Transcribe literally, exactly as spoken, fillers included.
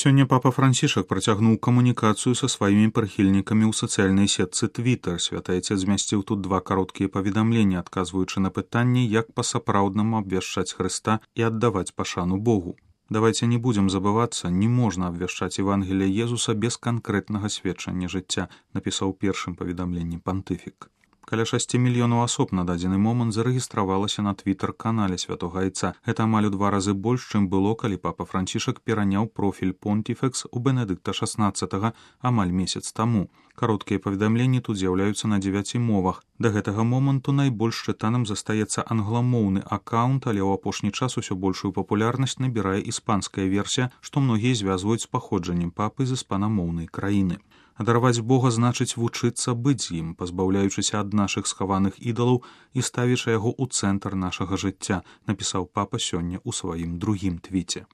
Сёння папа Францішак працягнуў камунікацыю са сваімі прыхільнікамі ў сацыяльнай сетцы Twitter. Святы Айцец змясціў тут два кароткія паведамленні, адказваючы на пытанне, як па-сапраўднаму абвяшчаць Хрыста і аддаваць пашану Богу. Давайте не будем забывацца, не можна абвяшчаць Евангелие Езуса без канкрэтнага сведчання жыцця, напісаў першым паведамленні пантыфік. Каля шасці мільёнаў асоб на дадзены момант зарэгістравалася на твітер-канале святога Айца. Гэта амаль у два разы больш, чым было, калі папа Францішак пераняў профіль Понтифекс у Бенедыкта шаснаццатага амаль месяц таму. Кароткія паведамленні тут з'яўляюцца на дзевяці мовах. Да гэтага моманту найбольш чытаным застаецца англамоўны аккаунт, але ў апошні час усё большую папулярнасць набірае іспанская версія, што многія звязваюць з паходжаннем папы з іспанамоўнай краіны. Адарваць Бога значыць вучыцца быць з ім, пазбаўляючыся ад нашых схаваных ідалаў і ставячы яго ў цэнтр нашага жыцця, напісаў папа сёння ў сваім другім твіце.